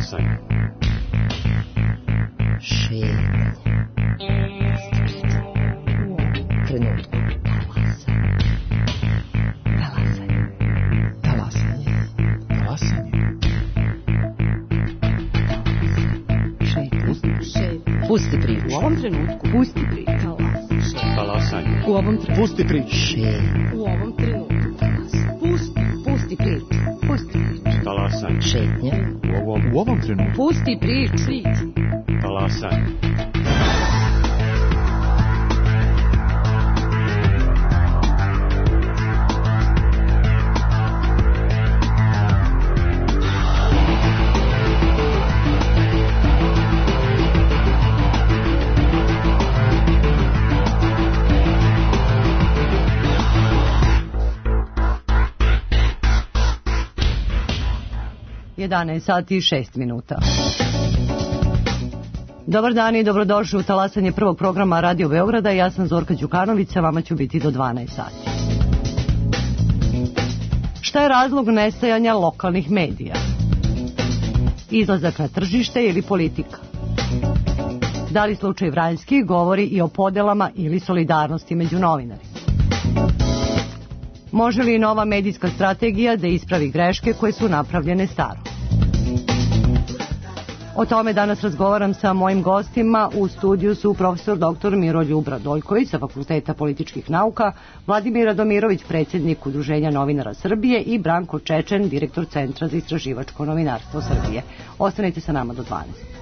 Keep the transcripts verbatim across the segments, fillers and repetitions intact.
Talasanje. Šetnje. Trenutku. Talasanje. Talasanje. Talasanje. Šetnje. Šetnje. Pusti priču. U ovom trenutku. Pusti priču. Talasanje. U ovom trenutku. Pusti priču. Šetnje. U ovom trenutku. Pusti. Pusti priču. Pusti priču. Talasanje. Šetnje. U ovom, U ovom trenutku. Pusti priču. talasanje. jedanaest sati i šest minuta. Dobar dan i dobrodošli u talasanje prvog programa Radio Beograda. Ja sam Zorka Đukanović, sa vama ću biti do dvanaest sati. Šta je razlog nestajanja lokalnih medija? Izlazak na tržište ili politika? Da li slučaj Vranjski govori i o podelama ili solidarnosti među novinarima? Može li nova medijska strategija da ispravi greške koje su napravljene staro? O tome danas razgovaram sa mojim gostima. U studiju su profesor doktor Miroljub Radoljković sa Fakulteta političkih nauka, Vladimir Radomirović, predsjednik Udruženja novinara Srbije i Branko Čečen, direktor Centra za istraživačko novinarstvo Srbije. Ostanite sa nama do dvanaest.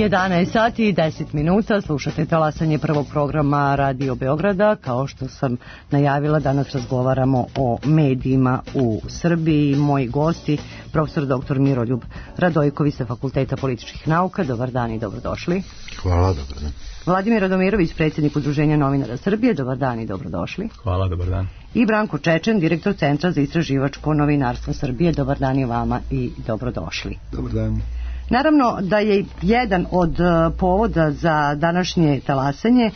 jedanaest sati i deset minuta, slušate talasanje prvog programa Radio Beograda. Kao što sam najavila, danas razgovaramo o medijima u Srbiji. Moji gosti, profesor doktor Miroljub Radojković sa Fakulteta političkih nauka. Dobar dan i dobrodošli. Hvala, dobar dan. Vladimir Radomirović, predsjednik Udruženja novinara Srbije. Dobar dan i dobrodošli. Hvala, dobar dan. I Branko Čečen, direktor Centra za istraživačko novinarstvo Srbije. Dobar dan i vama i dobrodošli. Dobar dan. Naravno da je jedan od povoda za današnje talasanje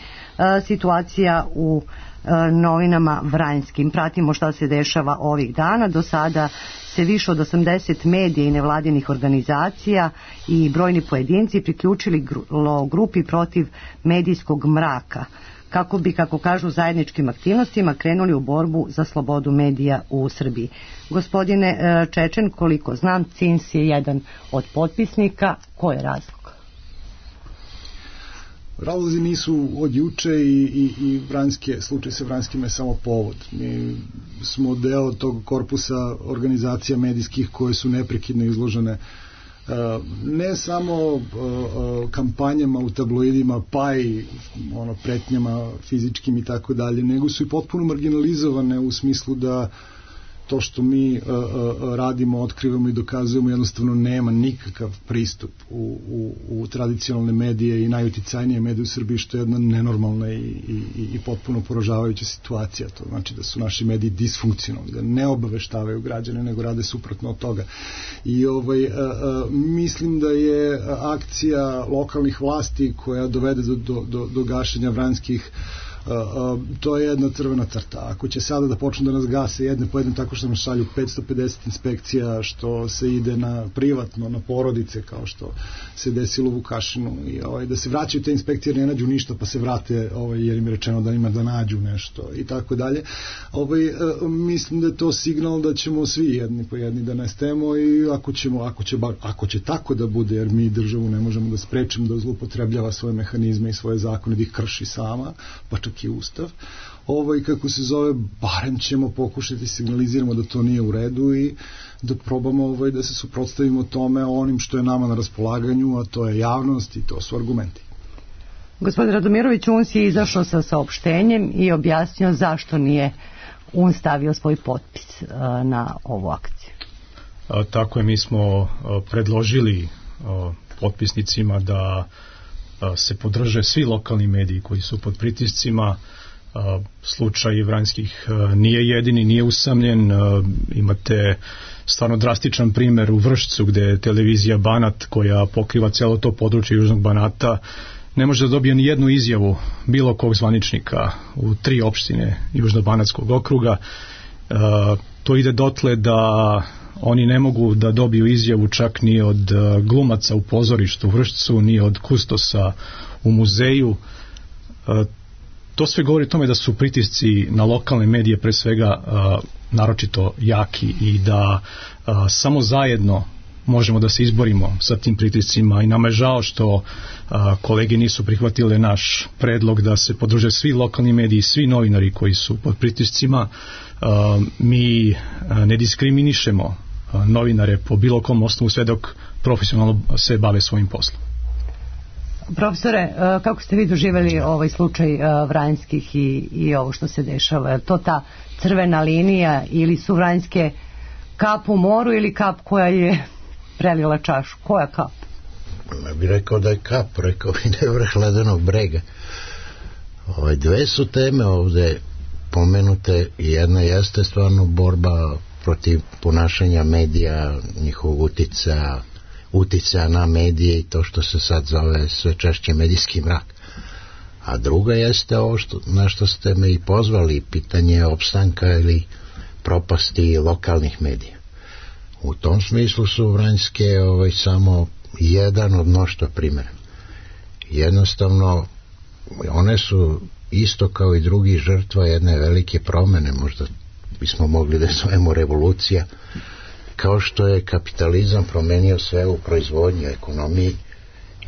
situacija u novinama Vranjskim. Pratimo šta se dešava ovih dana. Do sada se više od osamdeset medija i nevladinih organizacija i brojni pojedinci priključili grupi protiv medijskog mraka, kako bi, kako kažu, zajedničkim aktivnostima krenuli u borbu za slobodu medija u Srbiji. Gospodine Čečen, koliko znam, C I N S je jedan od potpisnika. Ko je razlog? Razlozi nisu od juče i, i, i Vranjske, slučaj sa Vranjskim je samo povod. Mi smo deo tog korpusa organizacija medijskih koje su neprekidno izložene ne samo kampanjama u tabloidima, pa i ono, pretnjama fizičkim i tako dalje, nego su i potpuno marginalizovane u smislu da to što mi uh, uh, radimo, otkrivamo i dokazujemo jednostavno nema nikakav pristup u, u, u tradicionalne medije i najuticajnije medije u Srbiji, što je jedna nenormalna i, i, i potpuno poražavajuća situacija. To znači da su naši mediji disfunkcionalni, da ne obaveštavaju građane, nego rade suprotno od toga. I ovaj, uh, uh, mislim da je akcija lokalnih vlasti koja dovede do, do, do, do gašenja Vranjskih, Uh, uh, to je jedna crvena crta. Ako će sada da počnu da nas gase jedne po jedne tako što nam šalju petsto pedeset inspekcija, što se ide na privatno, na porodice, kao što se desilo u Vukašinu, i ovaj, da se vraćaju te inspekcije, ne nađu ništa pa se vrate, ovaj, jer im je rečeno da ima da nađu nešto i tako dalje. Ovaj, uh, mislim da je to signal da ćemo svi jedni po jedni da nestajemo, i ako ćemo, ako će, bar, ako će tako da bude, jer mi državu ne možemo da sprečimo da zloupotrebljava svoje mehanizme i svoje zakone, da ih krši sama, pa čak i ustav, ovaj, kako se zove, barem ćemo pokušati signaliziramo da to nije u redu i da probamo ovaj, da se suprotstavimo tome onim što je nama na raspolaganju, a to je javnost i to su argumenti. Gospodin Radomirović, U N S je izašao sa saopštenjem i objasnio zašto nije U N S stavio svoj potpis a, na ovu akciju. A, tako je, mi smo a, predložili a, potpisnicima da se podrže svi lokalni mediji koji su pod pritiscima. Slučaj Vranjskih nije jedini, nije usamljen. Imate stvarno drastičan primer u Vršcu, gde je televizija Banat, koja pokriva cijelo to područje Južnog Banata, ne može da dobije ni jednu izjavu bilo kog zvaničnika u tri opštine Južnobanatskog okruga. To ide dotle da oni ne mogu da dobiju izjavu čak ni od glumaca u pozorištu u Vršcu, ni od kustosa u muzeju. To sve govori o tome da su pritisci na lokalne medije pre svega naročito jaki i da samo zajedno možemo da se izborimo sa tim pritiscima, i nama je žao što kolege nisu prihvatile naš predlog da se podrže svi lokalni mediji, svi novinari koji su pod pritiscima. Mi ne diskriminišemo novinare po bilo kom osnovu sve dok profesionalno se bave svojim poslom. Profesore, kako ste vi doživjeli ovaj slučaj Vranjskih i, i ovo što se dešava? Je to ta crvena linija ili su Vranjske kap u moru ili kap koja je prelila čašu? Koja kap? Ne bih rekao da je kap, rekao bi da je vrh ledenog brega. Ove dve su teme ovde pomenute, i jedna jeste stvarno borba protiv ponašanja medija, njihovog uticaja, uticaja na medije i to što se sad zove sve češće medijski mrak. A druga jeste ovo što, na što ste me i pozvali, pitanje opstanka ili propasti lokalnih medija. U tom smislu su Vranjske ovaj, samo jedan od mnoštva primjera. Jednostavno, one su isto kao i drugi žrtva jedne velike promene, možda bismo mogli da zovemo revolucija, kao što je kapitalizam promenio sve u proizvodnji, ekonomiji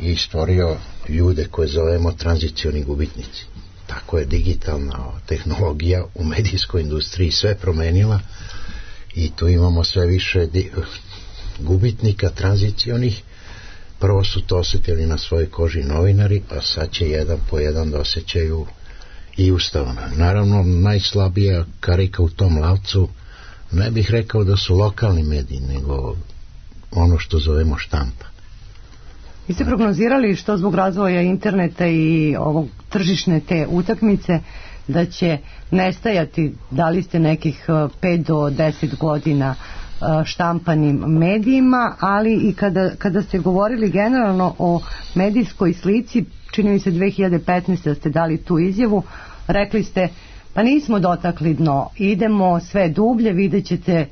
i stvorio ljude koje zovemo tranzicioni gubitnici. Tako je digitalna tehnologija u medijskoj industriji sve promenila i tu imamo sve više di- gubitnika tranzicionih, prvo su to osjetili na svojoj koži novinari, a sad će jedan po jedan da osjećaju i ustavno. Naravno, najslabija karika u tom lavcu, ne bih rekao da su lokalni mediji, nego ono što zovemo štampa. Vi ste prognozirali što zbog razvoja interneta i ovog tržišne te utakmice da će nestajati, dali ste nekih pet do deset godina štampanim medijima, ali i kada, kada ste govorili generalno o medijskoj slici, čini mi se dve hiljade petnaeste da ste dali tu izjavu, rekli ste pa nismo dotakli dno, idemo sve dublje, vidjet ćete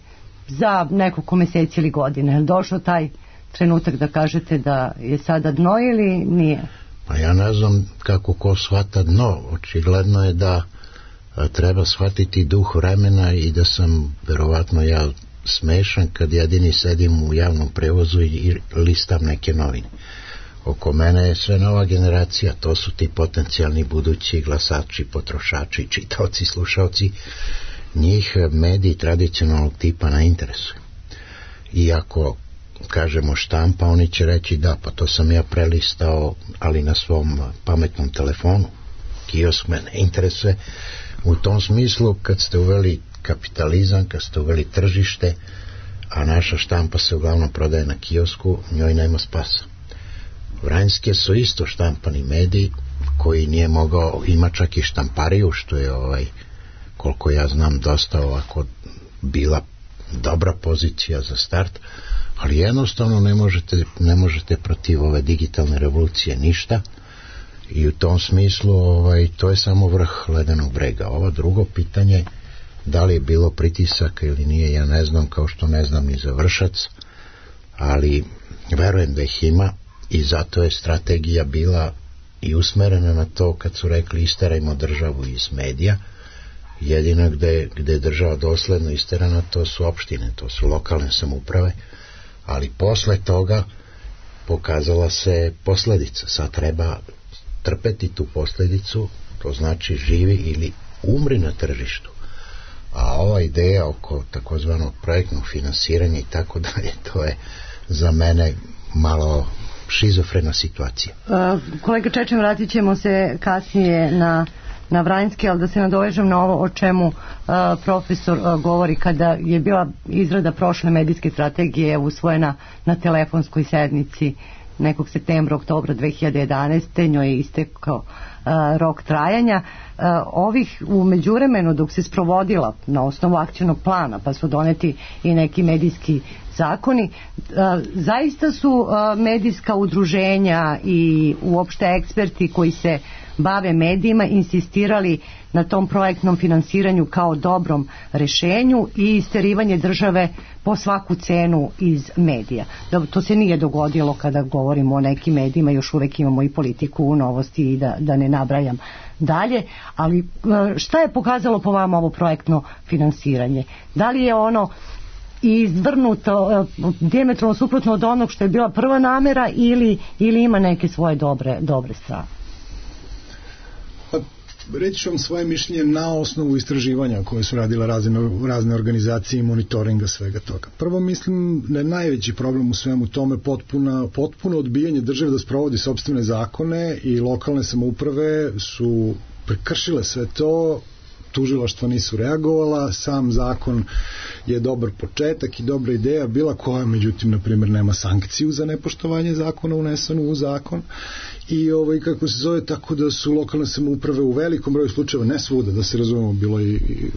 za nekoliko meseci ili godine. Je došao taj trenutak da kažete da je sada dno ili nije? Pa ja ne znam kako ko shvata dno. Očigledno je da a, treba shvatiti duh vremena i da sam verovatno ja smešan kad jedini sedim u javnom prevozu i listam neke novine. Oko mene je sve nova generacija, to su ti potencijalni budući glasači, potrošači, čitaoci, slušaoci. Njih mediji tradicionalnog tipa ne interesuju. I ako kažemo štampa, oni će reći da, pa to sam ja prelistao, ali na svom pametnom telefonu. Kiosk me ne interesuje. U tom smislu, kad ste uveli kapitalizam, kad ste uveli tržište, a naša štampa se uglavnom prodaje na kiosku, njoj nema spasa. Vranjske su isto štampani mediji, koji nije mogao, ima čak i štampariju, što je ovaj, koliko ja znam, dosta ovako bila dobra pozicija za start, ali jednostavno ne možete, ne možete protiv ove digitalne revolucije ništa i u tom smislu ovaj, to je samo vrh ledenog brega. Ovo drugo pitanje, da li je bilo pritisaka ili nije, ja ne znam, kao što ne znam ni za Vršac, ali verujem da ih ima i zato je strategija bila i usmerena na to kad su rekli isterajmo državu iz medija. Jedino gde, gde je država dosledno isterana, to su opštine, to su lokalne samouprave, ali posle toga pokazala se posledica. Sad treba trpeti tu posledicu, to znači živi ili umri na tržištu. A ova ideja oko takozvanog projektnog finansiranja i tako dalje, to je za mene malo šizofrena situacija. Uh, kolega Čečen, vratit ćemo se kasnije na, na Vranjski, ali da se nadovežem na ovo o čemu uh, profesor uh, govori kada je bila izrada prošle medijske strategije usvojena na telefonskoj sednici nekog septembra, oktobra dve hiljade jedanaeste. Njoj je istekao uh, rok trajanja. Uh, ovih u međuvremenu dok se sprovodila na osnovu akcionog plana, pa su doneti i neki medijski zakoni, uh, zaista su uh, medijska udruženja i uopšte eksperti koji se bave medijima insistirali na tom projektnom finansiranju kao dobrom rešenju i isterivanje države po svaku cenu iz medija. To se nije dogodilo kada govorimo o nekim medijima, još uvek imamo i politiku, novosti i da, da ne nabrajam dalje, ali šta je pokazalo po vama ovo projektno finansiranje? Da li je ono izvrnuto dijametralno suprotno od onog što je bila prva namera ili, ili ima neke svoje dobre, dobre strane? Reći ću vam svoje mišljenje na osnovu istraživanja koje su radile razne, razne organizacije i monitoringa svega toga. Prvo mislim da je najveći problem u svemu tome potpuno, potpuno odbijanje države da sprovodi sopstvene zakone i lokalne samouprave su prekršile sve to, tužilaštva nisu reagovala, sam zakon je dobar početak i dobra ideja bila koja, međutim, na primjer, nema sankciju za nepoštovanje zakona unesenu u zakon i ovaj, kako se zove, tako da su lokalne samouprave u velikom broju slučajeva, ne svuda, da se razumemo, bilo i... i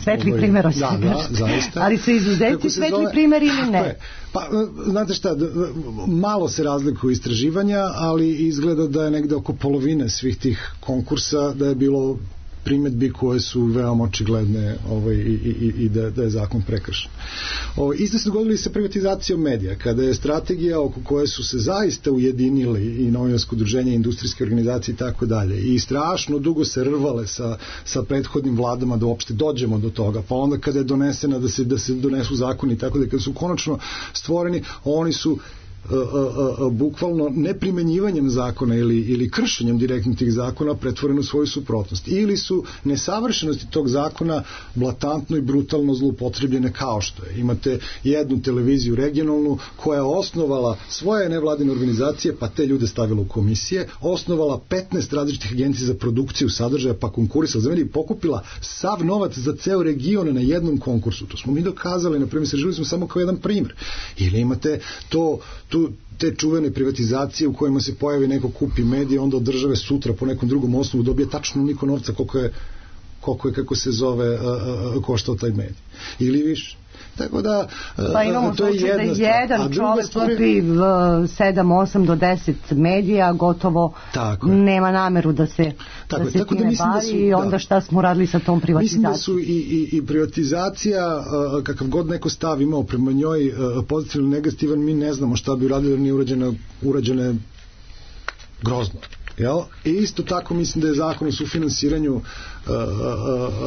svetli ovaj, primjer od da, da, zaista. Ali su izuzeti svetli zove, primjer ili ne? Je, pa, znate šta, malo se razlikuju istraživanja, ali izgleda da je negde oko polovine svih tih konkursa da je bilo primjedbi koje su veoma očigledne ovaj, i, i, i da, da je zakon prekršen. Ovaj, isto se dogodili sa privatizacijom medija, kada je strategija oko koje su se zaista ujedinili i novinarsko udruženje, industrijske organizacije i tako dalje, i strašno dugo se rvale sa, sa prethodnim vladama da uopšte dođemo do toga, pa onda kada je donesena da se, da se donesu zakoni i tako da, kada su konačno stvoreni, oni su a, a, a, bukvalno neprimenjivanjem zakona ili, ili kršenjem direktnih tih zakona pretvoreno u svoju suprotnost. Ili su nesavršenosti tog zakona blatantno i brutalno zloupotrebljene kao što je. Imate jednu televiziju regionalnu koja je osnovala svoje nevladine organizacije, pa te ljude stavila u komisije, osnovala petnaest različitih agencija za produkciju sadržaja, pa konkurisala za medije i pokupila sav novac za ceo region na jednom konkursu. To smo mi dokazali, na primjer, želili smo samo kao jedan primjer. Ili imate to, tu, te čuvene privatizacije u kojima se pojavi neko kupi medije, onda od države sutra po nekom drugom osnovu dobije tačno onoliko novca koliko je, koliko je, kako se zove, koštao taj medij. Ili više. Tako da, pa imamo to je slučaj da jedna jedan čovjek kupi sedam, osam do deset medija, gotovo nema nameru da se, tako da se tako time da bavi da su, i onda da. Šta smo radili sa tom privatizacijom? Mislim da su i, i, i privatizacija, kakav god neko stav imao prema njoj, pozitivno negativan, mi ne znamo šta bi uradili, jer nije urađene, urađene grozno. Jel? I isto tako mislim da je zakon o sufinansiranju uh, uh, uh,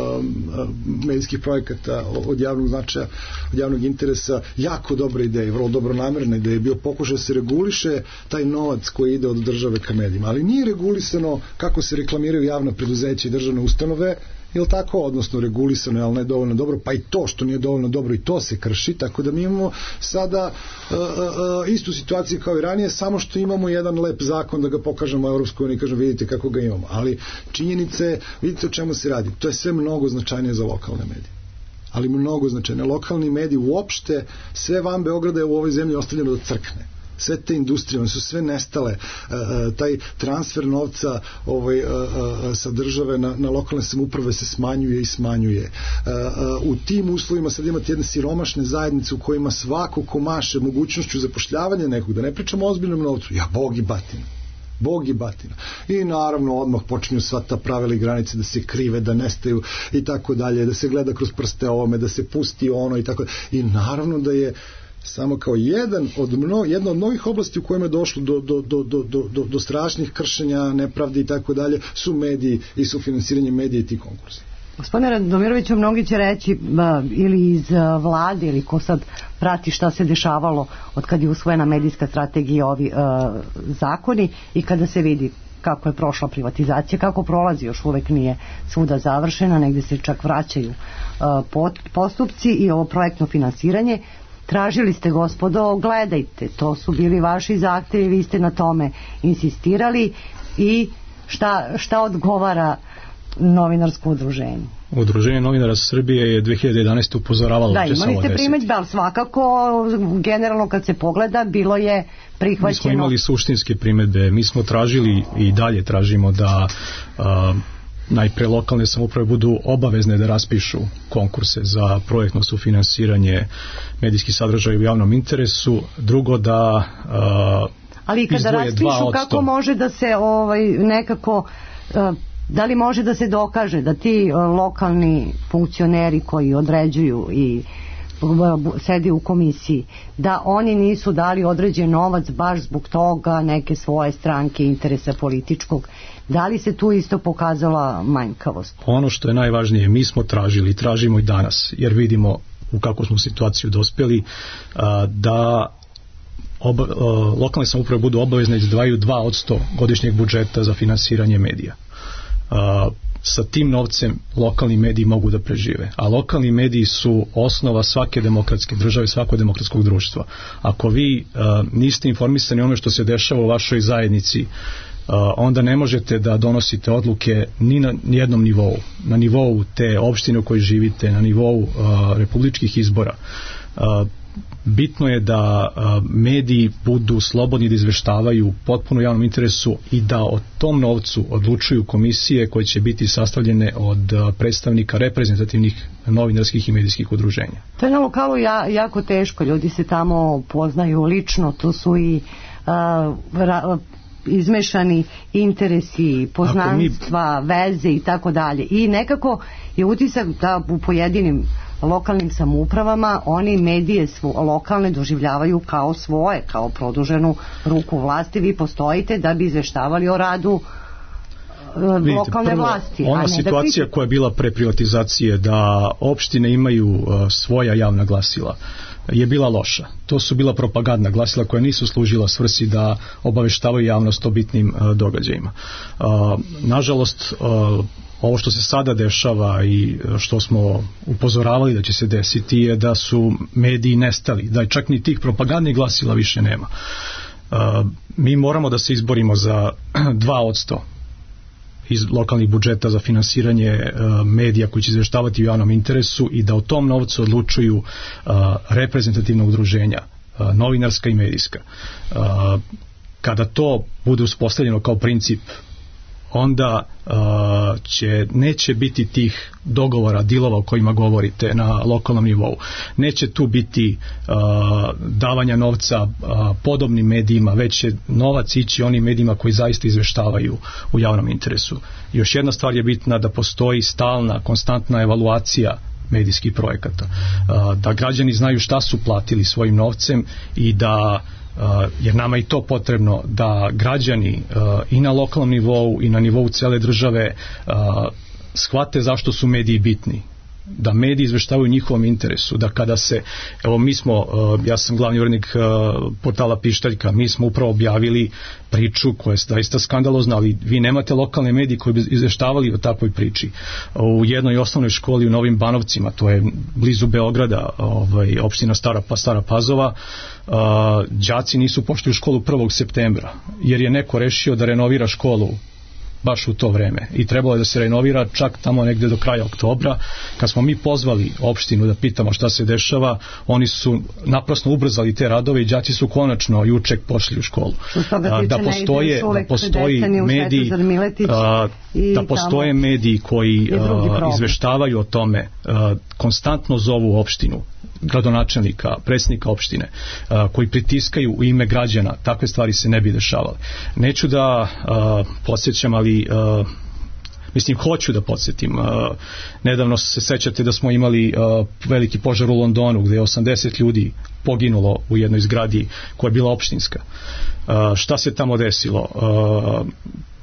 uh, medijskih projekata od javnog značaja, od javnog interesa jako dobra ideja, vrlo dobro namerna ideja, je bio pokušaj da se reguliše taj novac koji ide od države ka medijima, ali nije regulisano kako se reklamiraju javna preduzeća i državne ustanove, ili tako, odnosno regulisano, ali ne dovoljno dobro, pa i to što nije dovoljno dobro i to se krši, tako da mi imamo sada uh, uh, istu situaciju kao i ranije, samo što imamo jedan lep zakon da ga pokažemo Europskoj uniji i kažemo vidite kako ga imamo, ali činjenice, vidite o čemu se radi, to je sve mnogo značajnije za lokalne medije, ali mnogo značajnije. Lokalni mediji uopšte, sve van Beograda je u ovoj zemlji ostavljeno da crkne. Sve te industrije, one su sve nestale, e, taj transfer novca ovaj, e, e, sa države na, na lokalne samouprave se smanjuje i smanjuje. E, e, u tim uslovima sad imate jedne siromašne zajednice u kojima svako ko maše mogućnošću zapošljavanja nekog, da ne pričamo o ozbiljnom novcu, ja bog i batina. Bog i batina. I naravno odmah počinju sva ta pravila i granice da se krive, da nestaju i tako dalje, da se gleda kroz prste ovome, da se pusti ono i tako dalje. I naravno da je samo kao jedan od mno, jedna od mnogih oblasti u kojima je došlo do, do, do, do, do, do strašnih kršenja, nepravdi i tako dalje, su mediji i su finansiranje medija i ti konkursi. Gospodine Radomiroviću, mnogi će reći ba, ili iz uh, vlade ili ko sad prati šta se dešavalo od kad je usvojena medijska strategija, ovi uh, zakoni i kada se vidi kako je prošla privatizacija, kako prolazi, još uvek nije svuda završena, negde se čak vraćaju uh, pot, postupci i ovo projektno finansiranje. Tražili ste, gospodo, gledajte, to su bili vaši zahtevi, vi ste na tome insistirali i šta, šta odgovara novinarsko udruženje? Udruženje novinara Srbije je dve hiljade jedanaeste upozoravalo da, imali ste primedbe, ali svakako generalno kad se pogleda bilo je prihvaćeno. Mi smo imali suštinske primedbe, mi smo tražili i dalje tražimo da a, najpre lokalne samouprave budu obavezne da raspišu konkurse za projektno sufinansiranje medijskih sadržaja u javnom interesu, drugo da a, ali i kada raspišu kako može da se ovaj, nekako a, da li može da se dokaže da ti lokalni funkcioneri koji određuju i sedi u komisiji, da oni nisu dali određen novac baš zbog toga neke svoje stranke, interesa političkog, da li se tu isto pokazala manjkavost? Ono što je najvažnije, mi smo tražili i tražimo i danas, jer vidimo u kakvu smo situaciju dospjeli, da oba, lokalne samouprave budu obavezne da izdvajaju dva posto godišnjeg budžeta za finansiranje medija. Uh, sa tim novcem lokalni mediji mogu da prežive, a lokalni mediji su osnova svake demokratske države, svakog demokratskog društva. Ako vi uh, niste informisani o onome što se dešava u vašoj zajednici, uh, onda ne možete da donosite odluke ni na jednom nivou, na nivou te opštine u kojoj živite, na nivou uh, republičkih izbora. Uh, bitno je da a, mediji budu slobodni da izveštavaju potpuno javnom interesu i da o tom novcu odlučuju komisije koje će biti sastavljene od a, predstavnika reprezentativnih novinarskih i medijskih udruženja. To je na lokalu ja, jako teško, ljudi se tamo poznaju lično, to su i a, ra, izmešani interesi, poznanstva, mi... veze i tako dalje. I nekako je utisak da u pojedinim lokalnim samoupravama oni medije svo, lokalne doživljavaju kao svoje, kao produženu ruku vlasti. Vi postojite da bi izveštavali o radu Vidite, lokalne prvo, vlasti. Ona a ne situacija da koja je bila pre privatizacije da opštine imaju uh, svoja javna glasila je bila loša. To su bila propagandna glasila koja nisu služila svrsi da obaveštavaju javnost o bitnim uh, događajima. Uh, nažalost, uh, ovo što se sada dešava i što smo upozoravali da će se desiti je da su mediji nestali, da čak ni tih propagandnih glasila više nema. Uh, mi moramo da se izborimo za dva odsto iz lokalnih budžeta za finansiranje uh, medija koji će izveštavati u javnom interesu i da o tom novcu odlučuju uh, reprezentativna udruženja, uh, novinarska i medijska. Uh, kada to bude uspostavljeno kao princip, onda uh, će, neće biti tih dogovora, dilova o kojima govorite na lokalnom nivou. Neće tu biti uh, davanja novca uh, podobnim medijima, već će novac ići onim medijima koji zaista izveštavaju u javnom interesu. Još jedna stvar je bitna, da postoji stalna, konstantna evaluacija medijskih projekata. Uh, da građani znaju šta su platili svojim novcem i da Uh, jer nama je i to potrebno da građani uh, i na lokalnom nivou i na nivou cele države uh, shvate zašto su mediji bitni, da mediji izveštavaju njihovom interesu, da kada se, evo mi smo, uh, ja sam glavni urednik uh, portala Pištaljka, mi smo upravo objavili priču koja je zaista skandalozna, ali vi nemate lokalne medije koji bi izveštavali o takvoj priči. U jednoj osnovnoj školi u Novim Banovcima, to je blizu Beograda, ovaj, opština Stara, pa Stara Pazova, uh, đaci nisu pošli u školu prvog septembra, jer je neko rešio da renovira školu baš u to vreme i trebalo je da se renovira čak tamo negde do kraja oktobra. Kad smo mi pozvali opštinu da pitamo šta se dešava, oni su naprasno ubrzali te radove i đaci su konačno juče pošli u školu. A, da postoje, da postoji mediji a, da postoje mediji koji a, izveštavaju o tome, a, konstantno zovu opštinu, gradonačelnika, predsjednika opštine, a, koji pritiskaju u ime građana, takve stvari se ne bi dešavale. Neću da a, podsjećam, ali Uh, mislim, hoću da podsjetim. Uh, nedavno se sećate da smo imali uh, veliki požar u Londonu gde je osamdeset ljudi poginulo u jednoj zgradi koja je bila opštinska. Uh, šta se tamo desilo? Uh,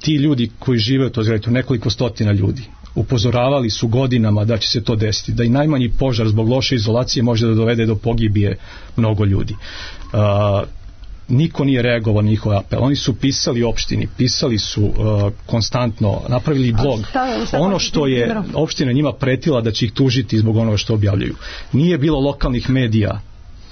ti ljudi koji žive u toj zgradi, nekoliko stotina ljudi, upozoravali su godinama da će se to desiti, da i najmanji požar zbog loše izolacije može da dovede do pogibije mnogo ljudi. Uh, niko nije reagovao na njihov apel. Oni su pisali opštini, pisali su uh, konstantno, napravili blog. Šta, šta ono što je opština njima pretila da će ih tužiti zbog onoga što objavljaju. Nije bilo lokalnih medija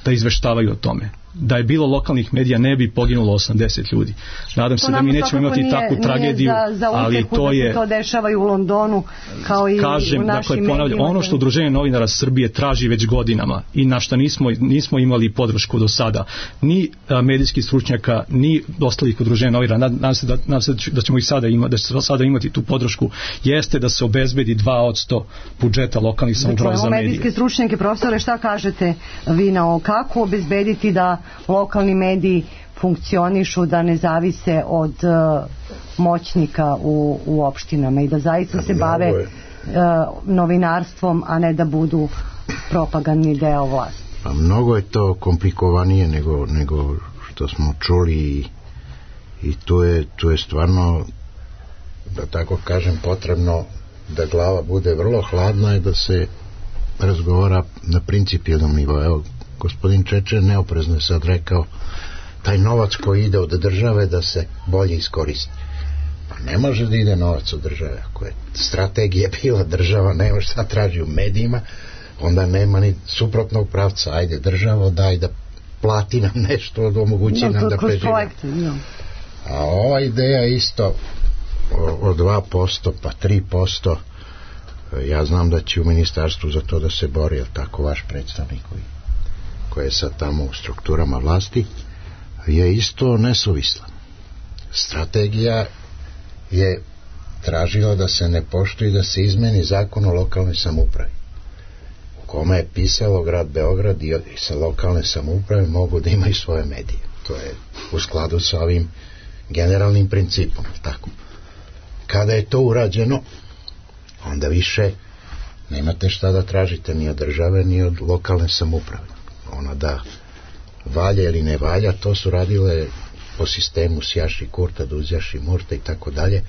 da izveštavaju o tome. Da je bilo lokalnih medija ne bi poginulo osamdeset ljudi. Nadam se da mi nećemo imati nije, takvu tragediju, za, za ali to je... to dešava i u Londonu, kao i kažem, u našim dakle, medijima. Ono što Udruženje novinara Srbije traži već godinama i na šta nismo, nismo imali podršku do sada, ni a, medijskih stručnjaka, ni ostalih udruženja novinara, nadam se da, nadam se da ćemo i sada, ima, da će sada imati tu podršku, jeste da se obezbedi dva odsto budžeta lokalnih samouprava za medije. Medijske stručnjake, profesore, šta kažete vi na ovo? Kako obezbediti da lokalni mediji funkcionišu, da ne zavise od uh, moćnika u, u opštinama i da zaista se bave uh, novinarstvom, a ne da budu propagandni deo vlasti? Pa mnogo je to komplikovanije nego, nego što smo čuli i, i tu je, tu je stvarno, da tako kažem, potrebno da glava bude vrlo hladna i da se razgovara na principijelnom nivou. Evo, gospodin Čečer neoprezno je sad rekao taj novac koji ide od države da se bolje iskoristi. Pa ne može da ide novac od države. Ako je strategija bila država, nema šta traži u medijima, onda nema ni suprotnog pravca. Ajde državo, daj da plati nam nešto, da omogući no, nam da preživamo. No. A ova ideja isto o, o dva posto pa tri posto, ja znam da će u ministarstvu za to da se bori, je tako vaš predstavnik koji koje je sad tamo u strukturama vlasti, je isto nesuvisla. Strategija je tražila da se ne poštuje, da se izmeni zakon o lokalnoj samoupravi, u kome je pisalo grad Beograd i sa lokalne samouprave mogu da imaju svoje medije. To je u skladu sa ovim generalnim principom. Tako. Kada je to urađeno, onda više nemate šta da tražite ni od države, ni od lokalne samouprave. Ona da valja ili ne valja, to su radile po sistemu sjaši kurta, da uzjaši murta i tako dalje.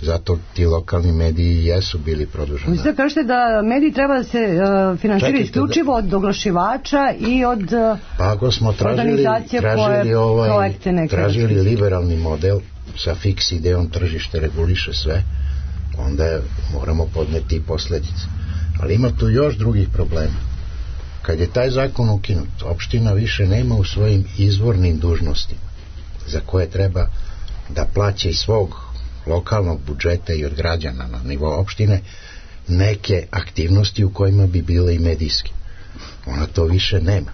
Zato ti lokalni mediji jesu bili produženi. Vi sad kažete da mediji treba da se uh, finansiraju isključivo da... od oglašivača i od uh, pa ako smo tražili, tražili, ovaj, tražili liberalni model sa fiks idejom tržište reguliše sve, onda moramo podneti posledice. Ali ima tu još drugih problema. Kad je taj zakon ukinut, opština više nema u svojim izvornim dužnostima za koje treba da plaća iz svog lokalnog budžeta i od građana na nivou opštine neke aktivnosti u kojima bi bile i medijske. Ona to više nema.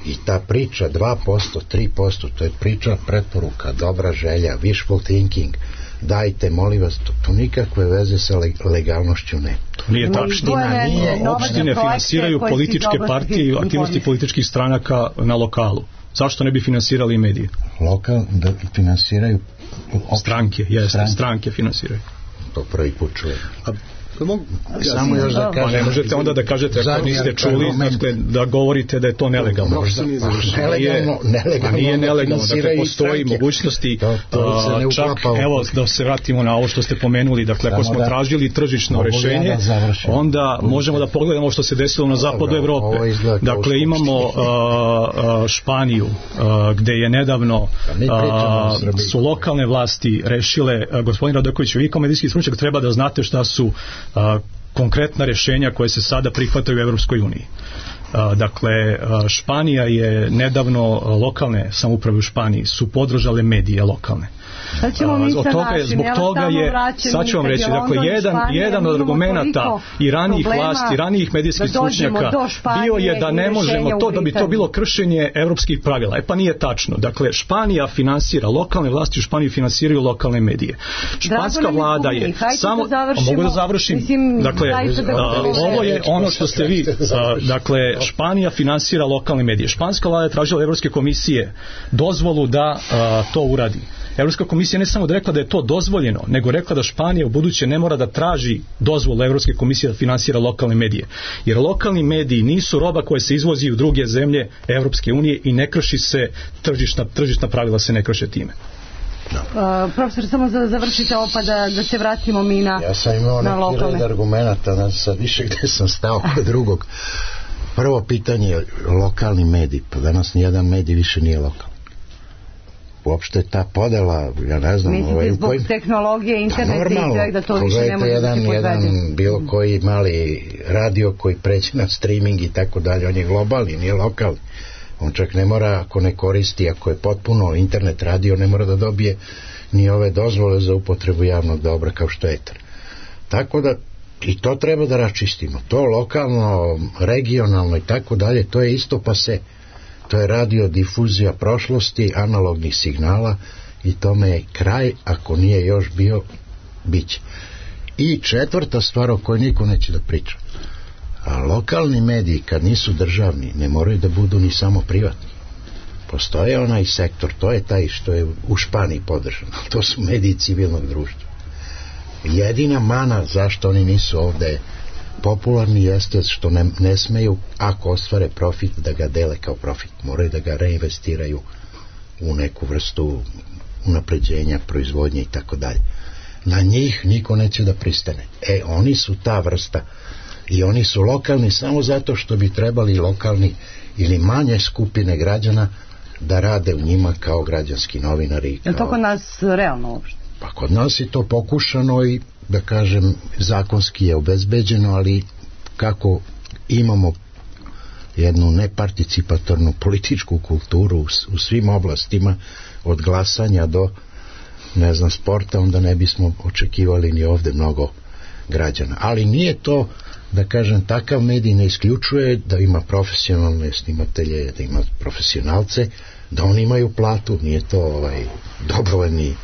I ta priča dva posto, tri posto, to je priča preporuka, dobra želja, wishful thinking, dajte, molim vas, to, to nikakve veze sa legalnošću ne. To nije tačno. Opštine finansiraju političke partije i aktivnosti političkih stranaka na lokalu. Zašto ne bi finansirali i medije? Lokal da finansiraju stranke, jeste, stranke, stranke finansiraju. To prvi put čujem. A pa mogu, ja samo još da kažem. Ne možete onda da kažete ako niste čuli, dakle, da govorite da je to nelegalno. Možda, nelegalno, nelegalno. Nije nelegalno, dakle, postoji mogućnosti, to, to a, čak, evo, da se vratimo na ovo što ste pomenuli, dakle, ako smo tražili tržišno rešenje, onda možemo da pogledamo što se desilo na zapadu Evrope. Dakle, imamo a, a, Španiju, a, gde je nedavno a, su lokalne vlasti rešile, a, gospodin Radoković, vi kao medijski stručnjak treba da znate šta su A, konkretna rješenja koje se sada prihvataju u Evropskoj uniji. A, dakle, a, Španija je nedavno, a, lokalne samouprave u Španiji su podržale medije lokalne. Sad ćemo mi sa našim, zbog toga je, sad ću vam reći, dakle, jedan, jedan od argumenata i ranijih vlasti, ranijih medijskih stručnjaka bio je da ne možemo to, da bi to bilo kršenje evropskih pravila. E pa nije tačno. Dakle, Španija finansira, lokalne vlasti u Španiji finansiraju lokalne medije. Španska vlada je samo, mogu da završim, dakle, ovo je ono što ste vi, dakle, Španija finansira lokalne medije. Španska vlada je tražila Evropske komisije dozvolu da to uradi. Evropska komisija ne samo da rekla da je to dozvoljeno, nego rekla da Španija u buduće ne mora da traži dozvolu Evropske komisije da finansira lokalne medije. Jer lokalni mediji nisu roba koja se izvozi u druge zemlje Evropske unije i ne krši se tržišna, tržišna pravila se ne krše time. Uh, profesor, samo za, završite ovo pa da, da se vratimo mi na ja sam imao na neki red argumenta, znači sad više gde sam stao kod drugog. Prvo pitanje je lokalni medij, pa danas nijedan medij više nije lokal. Uopšte ta podela, ja ne znam... Mislite ovaj, zbog kojim... tehnologije, interneta i sve da to više ne može jedan, da se podvede? jedan bilo koji mali radio koji pređe na streaming i tako dalje, on je globalni, nije lokalni. On čak ne mora, ako ne koristi, ako je potpuno internet radio, ne mora da dobije ni ove dozvole za upotrebu javnog dobra kao što je etar. Tako da i to treba da raščistimo. To lokalno, regionalno i tako dalje, to je isto pa se... To je radiodifuzija prošlosti, analognih signala i tome je kraj, ako nije još bio, biće. I četvrta stvar o kojoj niko neće da priča. A lokalni mediji, kad nisu državni, ne moraju da budu ni samo privatni. Postoje onaj sektor, to je taj što je u Španiji podržan. To su mediji civilnog društva. Jedina mana zašto oni nisu ovde popularni jeste što ne, ne smeju, ako ostvare profit, da ga dele kao profit. Moraju da ga reinvestiraju u neku vrstu unapređenja, proizvodnje i tako dalje. Na njih niko neće da pristane. E, oni su ta vrsta i oni su lokalni samo zato što bi trebali lokalni ili manje skupine građana da rade u njima kao građanski novinari. Je li to kod nas realno uopšte? Pa kod nas je to pokušano i da kažem zakonski je obezbeđeno, ali kako imamo jednu neparticipatornu političku kulturu u, u svim oblastima od glasanja do ne znam sporta, onda ne bismo očekivali ni ovde mnogo građana. Ali nije to, da kažem, takav medij ne isključuje da ima profesionalne snimatelje, da ima profesionalce, da oni imaju platu, nije to ovaj dobrovoljni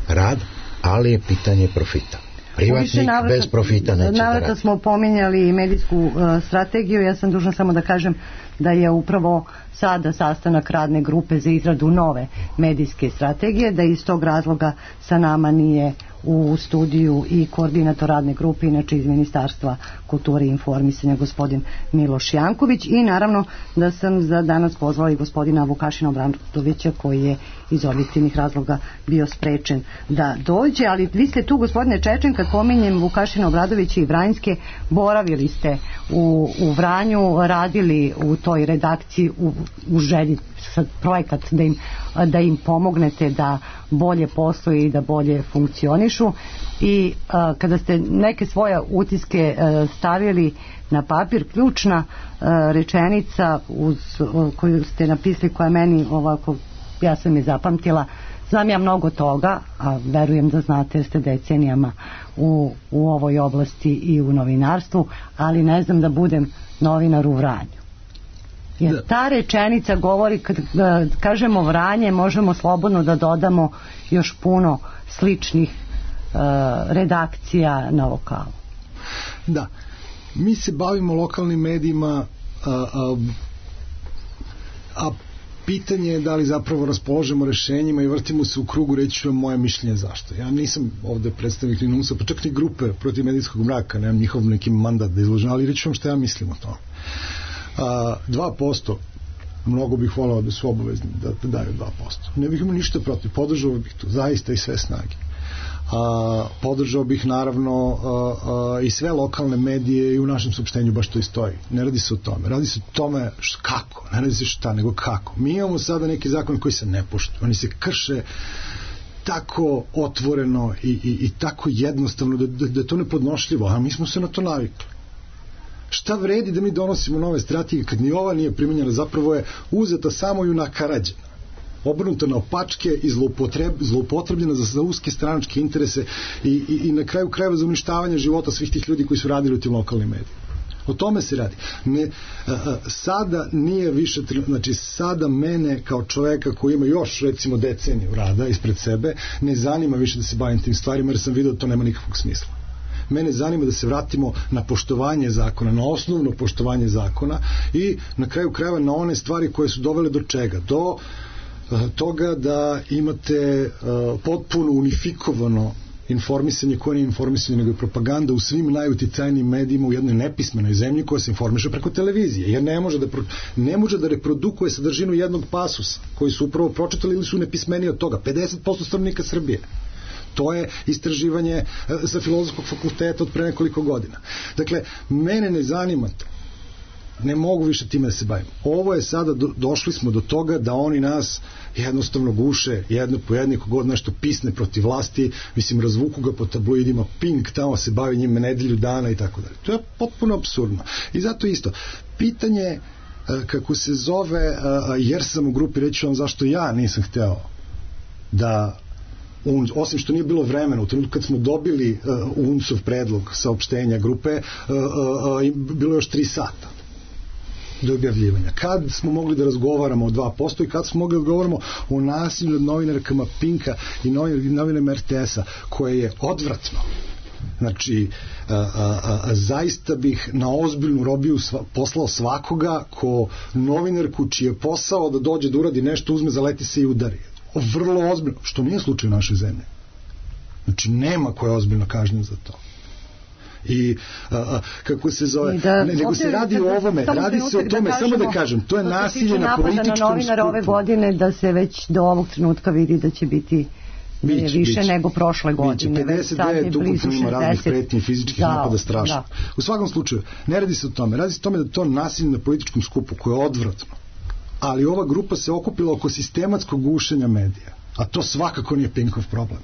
rad, ali je pitanje profita. Privatnik navrata, bez profita neće da radi. Navrata smo pominjali medijsku uh, strategiju, ja sam dužna samo da kažem da je upravo sada sastanak radne grupe za izradu nove medijske strategije, da iz tog razloga sa nama nije u studiju i koordinator radne grupe, inače iz Ministarstva kulture i informisanja, gospodin Miloš Janković, i naravno da sam za danas pozvala i gospodina Vukašina Obradovića, koji je iz objektivnih razloga bio sprečen da dođe. Ali vi ste tu, gospodine Čečen, kad pominjem Vukašina Obradovića i Vranjske, boravili ste u, u Vranju, radili u toj redakciji u, u želji sad projekat da im, da im pomognete da bolje posluju i da bolje funkcionišu, i a, kada ste neke svoje utiske a, stavili na papir, ključna a, rečenica uz, a, koju ste napisali, koja meni ovako, ja sam je zapamtila: znam ja mnogo toga, a verujem da znate jer ste decenijama u, u ovoj oblasti i u novinarstvu, ali ne znam da budem novinar u Vranju. Jer ta rečenica govori, kad kažemo Vranje, možemo slobodno da dodamo još puno sličnih uh, redakcija na lokalu. Da, mi se bavimo lokalnim medijima, a, a, a pitanje je da li zapravo raspoložemo rešenjima i vrtimo se u krugu. Reći ću vam moje mišljenje zašto. Ja nisam ovde predstavnik ni NUNS-a, pa čak ni grupe protiv medijskog mraka, nemam njihov neki mandat da izložem, ali reći ću vam šta ja mislim o tome. A, dva posto, mnogo bih volao da su obavezni da, da daju dva posto. Ne bih imao ništa protiv, podržao bih to zaista i sve snage. A, podržao bih naravno a, a, i sve lokalne medije, i u našem saopštenju baš to i stoji. Ne radi se o tome, radi se o tome š, kako, ne radi se šta, nego kako. Mi imamo sada neki zakon koji se ne poštuju, oni se krše tako otvoreno i, i, i tako jednostavno da, da, da je to nepodnošljivo, a mi smo se na to navikli. Šta vredi da mi donosimo nove strategije kad ni ova nije primenjena, zapravo je uzeta samo i unakarađena, obrnuta na opačke i zloupotreb, zloupotrebljena za, za uske stranačke interese i, i, i na kraju krajeva za uništavanje života svih tih ljudi koji su radili u tim lokalnim medijima. O tome se radi. Ne, a, a, sada nije više, znači sada mene kao čoveka koji ima još recimo deceniju rada ispred sebe, ne zanima više da se bavim tim stvarima, jer sam vidio da to nema nikakvog smisla. Mene zanima da se vratimo na poštovanje zakona, na osnovno poštovanje zakona i na kraju krajeva na one stvari koje su dovele do čega? Do uh, toga da imate uh, potpuno unifikovano informisanje, koje nije informisanje nego je propaganda u svim najuticajnijim medijima u jednoj nepismenoj zemlji koja se informiše preko televizije, jer ne može da, pro, ne može da reprodukuje sadržinu jednog pasusa koji su upravo pročitali ili su nepismeniji od toga. pedeset posto stanovnika Srbije. To je istraživanje sa Filozofskog fakulteta od pre nekoliko godina. Dakle, mene ne zanima to. Ne mogu više time da se bavim. Ovo je sada, do, došli smo do toga da oni nas jednostavno guše jedno po jedno, kogod nešto pisne protiv vlasti, mislim, razvuku ga po tabloidima, Pink tamo se bavi njima nedelju dana i tako dalje. To je potpuno apsurdno. I zato isto, pitanje kako se zove, jer sam u grupi, reći vam zašto ja nisam hteo da Un, osim što nije bilo vremena u trenutku kad smo dobili uh, U N S-ov predlog saopštenja grupe, uh, uh, uh, bilo još tri sata do objavljivanja. Kad smo mogli da razgovaramo o dva posto i kad smo mogli da razgovaramo o nasilju nad novinarkama Pinka i novinarima R T S-a, koje je odvratno. Znači, a, a, a, zaista bih na ozbiljnu robiju sva, poslao svakoga ko novinarku čiji je posao da dođe da uradi nešto, uzme, zaleti se i udari. Vrlo ozbiljno, što nije slučaj u našoj zemlji. Znači, nema koja je ozbiljno kažnjen za to. I a, a, kako se zove, da, ne, nego se radi o ovome, radi se o tome, da kažemo, samo da kažem, to je nasilje na političkom skupu. Na ove godine, da se već do ovog trenutka vidi da će biti bić, više bić. nego prošle godine. Biće, pedeset devet ukupno ima raznih pretnji fizičkih da, napada strašno. Da. U svakom slučaju, ne radi se o tome, radi se o tome da to nasilje na političkom skupu, koje je odvratno, ali ova grupa se okupila oko sistematskog gušenja medija, a to svakako nije Pinkov problem.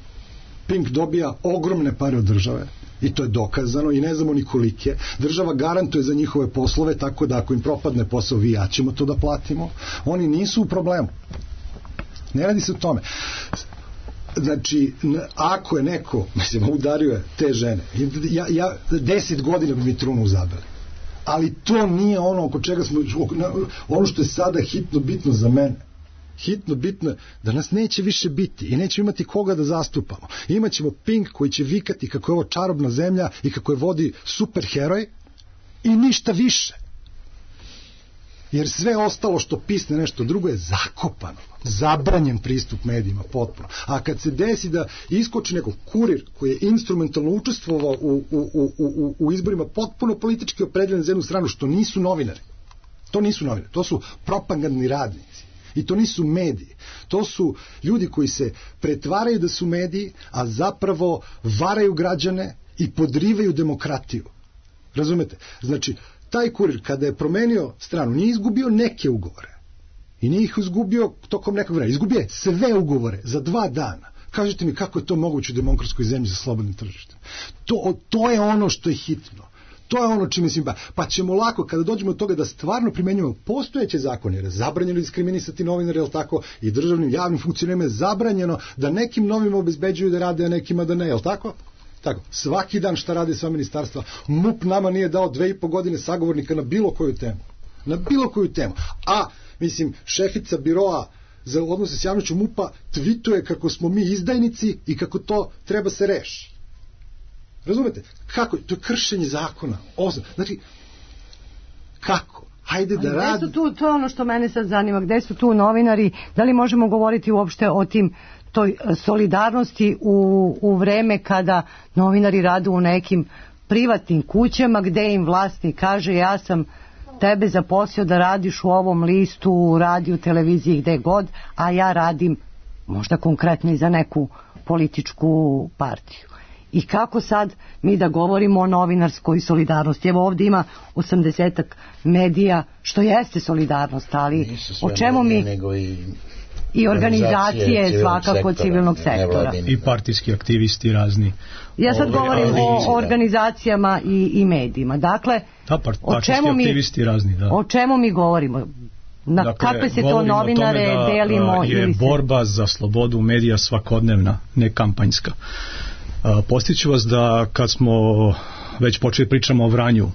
Pink dobija ogromne pare od države i to je dokazano i ne znamo ni kolike. Država garantuje za njihove poslove, tako da ako im propadne posao, vi ja ćemo to da platimo. Oni nisu u problemu. Ne radi se o tome. Znači, ako je neko, mislim, udario je te žene, ja, ja deset godina bi mi trunu uzabili. Ali to nije ono oko čega smo, ono što je sada hitno bitno za mene. Hitno bitno je da nas neće više biti i nećemo imati koga da zastupamo. Imaćemo Pink koji će vikati kako je ovo čarobna zemlja i kako je vodi superheroj i ništa više. jer sve ostalo što pisne nešto drugo je zakopano, zabranjen pristup medijima potpuno. A kad se desi da iskoči neko kurir koji je instrumentalno učestvovao u, u, u, u, u izborima potpuno politički opredeljen za jednu stranu, što nisu novinari, to nisu novinari, to su propagandni radnici i to nisu mediji, to su ljudi koji se pretvaraju da su mediji, a zapravo varaju građane i podrivaju demokratiju. Razumete? Znači, taj kurir kada je promenio stranu nije izgubio neke ugovore i nije ih izgubio tokom nekog vremena, izgubio je sve ugovore za dva dana. Kažite mi kako je to moguće u demokratskoj zemlji za slobodnim tržištem. To, to je ono što je hitno. To je ono čime mislim, pa ćemo lako kada dođemo od toga da stvarno primenjujemo postojeće zakone, jer je zabranjeno diskriminisati novinare, jel tako, i državnim javnim funkcionerima je zabranjeno da nekim novima obezbeđuju da rade, a nekima da ne, jel tako? Tako, svaki dan šta rade sva ministarstva. M U P nama nije dao dve i po godine sagovornika na bilo koju temu. Na bilo koju temu. A, mislim, šefica biroa za odnose s javnošću M U P-a tvituje kako smo mi izdajnici i kako to treba se reši. Razumete? Kako? To je kršenje zakona. Osam. Znači, kako? Hajde da radi. Tu, to je ono što mene sad zanima. Gde su tu novinari? Da li možemo govoriti uopšte o tim toj solidarnosti u, u vreme kada novinari rade u nekim privatnim kućama gde im vlasnik kaže ja sam tebe zaposlio da radiš u ovom listu, u radiju, televiziji, gde god, a ja radim možda konkretno i za neku političku partiju. I kako sad mi da govorimo o novinarskoj solidarnosti? Evo ovdje ima osamdesetak medija, što jeste solidarnost, ali o čemu mi... I, i organizacije svakako sektora, civilnog sektora. I partijski aktivisti razni. Ja sad govorim ali, o organizacijama i, i medijima. Dakle, da, part, o čemu mi, aktivisti razni, da. O čemu mi govorimo? Na dakle, kakve se to novinare da, delimo? Je ili se... borba za slobodu medija svakodnevna, ne kampanjska. Postiću vas da kad smo već počeli pričamo o Vranju,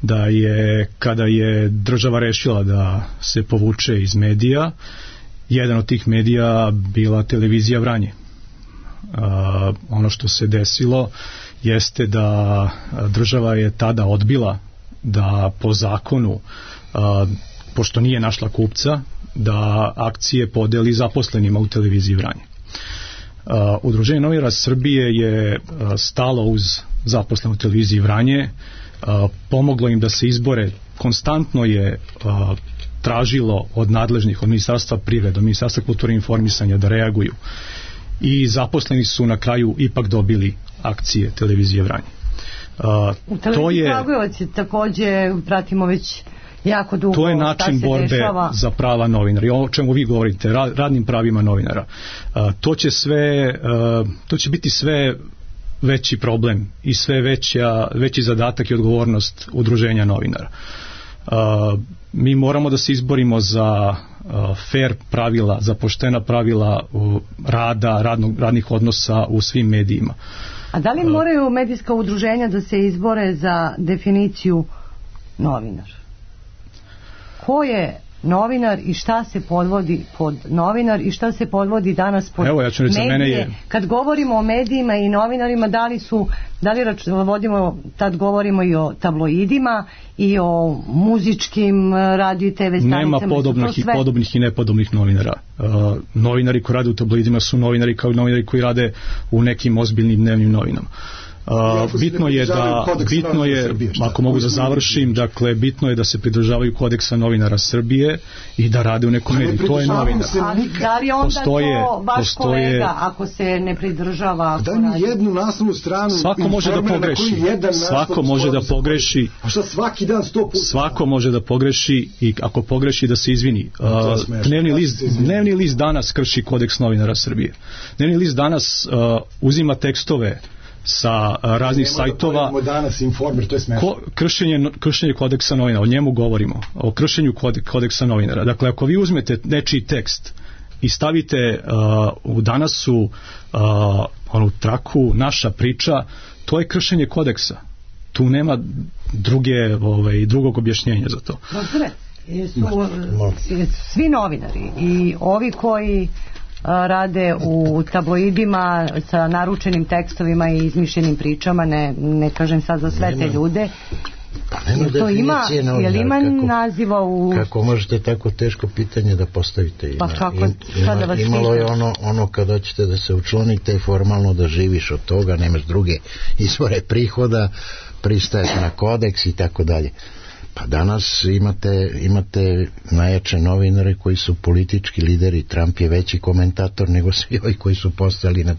da je kada je država rešila da se povuče iz medija, jedan od tih medija bila televizija Vranje. Uh, ono što se desilo jeste da država je tada odbila da po zakonu, uh, pošto nije našla kupca, da akcije podeli zaposlenima u televiziji Vranje. Uh, Udruženje novinara Srbije je uh, stalo uz zaposlene u televiziji Vranje, uh, pomoglo im da se izbore, konstantno je uh, tražilo od nadležnih, od Ministarstva privrede, od Ministarstva kulture i informisanja da reaguju. I zaposleni su na kraju ipak dobili akcije televizije Vranje. Uh, U televiziji Kragujevac je takođe, pratimo već jako dugo. To je način borbe dešava. Za prava novinara. I o čemu vi govorite, radnim pravima novinara. Uh, to će sve, uh, to će biti sve veći problem i sve veća, veći zadatak i odgovornost udruženja novinara. Uh, mi moramo da se izborimo za uh, fair pravila, za poštena pravila uh, rada, radnog, radnih odnosa u svim medijima. A da li moraju medijska udruženja da se izbore za definiciju novinar? Ko je novinar i šta se podvodi pod novinar i šta se podvodi danas pod Evo, ja ću reći, medije? Mene je... Kad govorimo o medijima i novinarima, da li su, da li rač, vodimo, tad govorimo i o tabloidima i o muzičkim radio i te ve stanicama. Nema podobnih i podobnih i nepodobnih novinara. Uh, novinari koji rade u tabloidima su novinari kao novinari koji rade u nekim ozbiljnim dnevnim novinama. Uh, bitno je da bitno je, ako mogu da završim, dakle bitno je da se pridržavaju kodeksa novinara Srbije i da rade u nekom mediju. To je novinar. Da li onda postoje, to vaš postoje, kolega ako se ne pridržava? Da mi jednu naslovnu stranu. Svako može da pogreši. Svako može da pogreši. A šta svaki dan sto puta? Svako može da pogreši i ako pogreši da se izvini. Uh, dnevni list, dnevni list danas krši kodeks novinara Srbije. Dnevni list danas uh, uzima tekstove sa raznih sajtova danas Informer, to je smešno. Ko, kršenje, kršenje kodeksa novinara, o njemu govorimo, o kršenju kodeksa novinara. Dakle, ako vi uzmete nečiji tekst i stavite uh, u danasu uh, onu traku, naša priča, to je kršenje kodeksa. Tu nema druge, ovaj, drugog objašnjenja za to. Dobre, jesu svi novinari i ovi koji rade u tabloidima sa naručenim tekstovima i izmišljenim pričama, ne, ne kažem sad za sve te ljude, nema to ima, je li ima kako, naziva u... Kako možete tako teško pitanje da postavite? Ima, pa kako, im, ima, imalo je ono, ono kad hoćete da se učlanite i formalno da živiš od toga, nemaš druge izvore prihoda, pristaješ na kodeks i tako dalje. Pa danas imate, imate najjače novinare koji su politički lideri. Trump je veći komentator nego svi ovi koji su postali na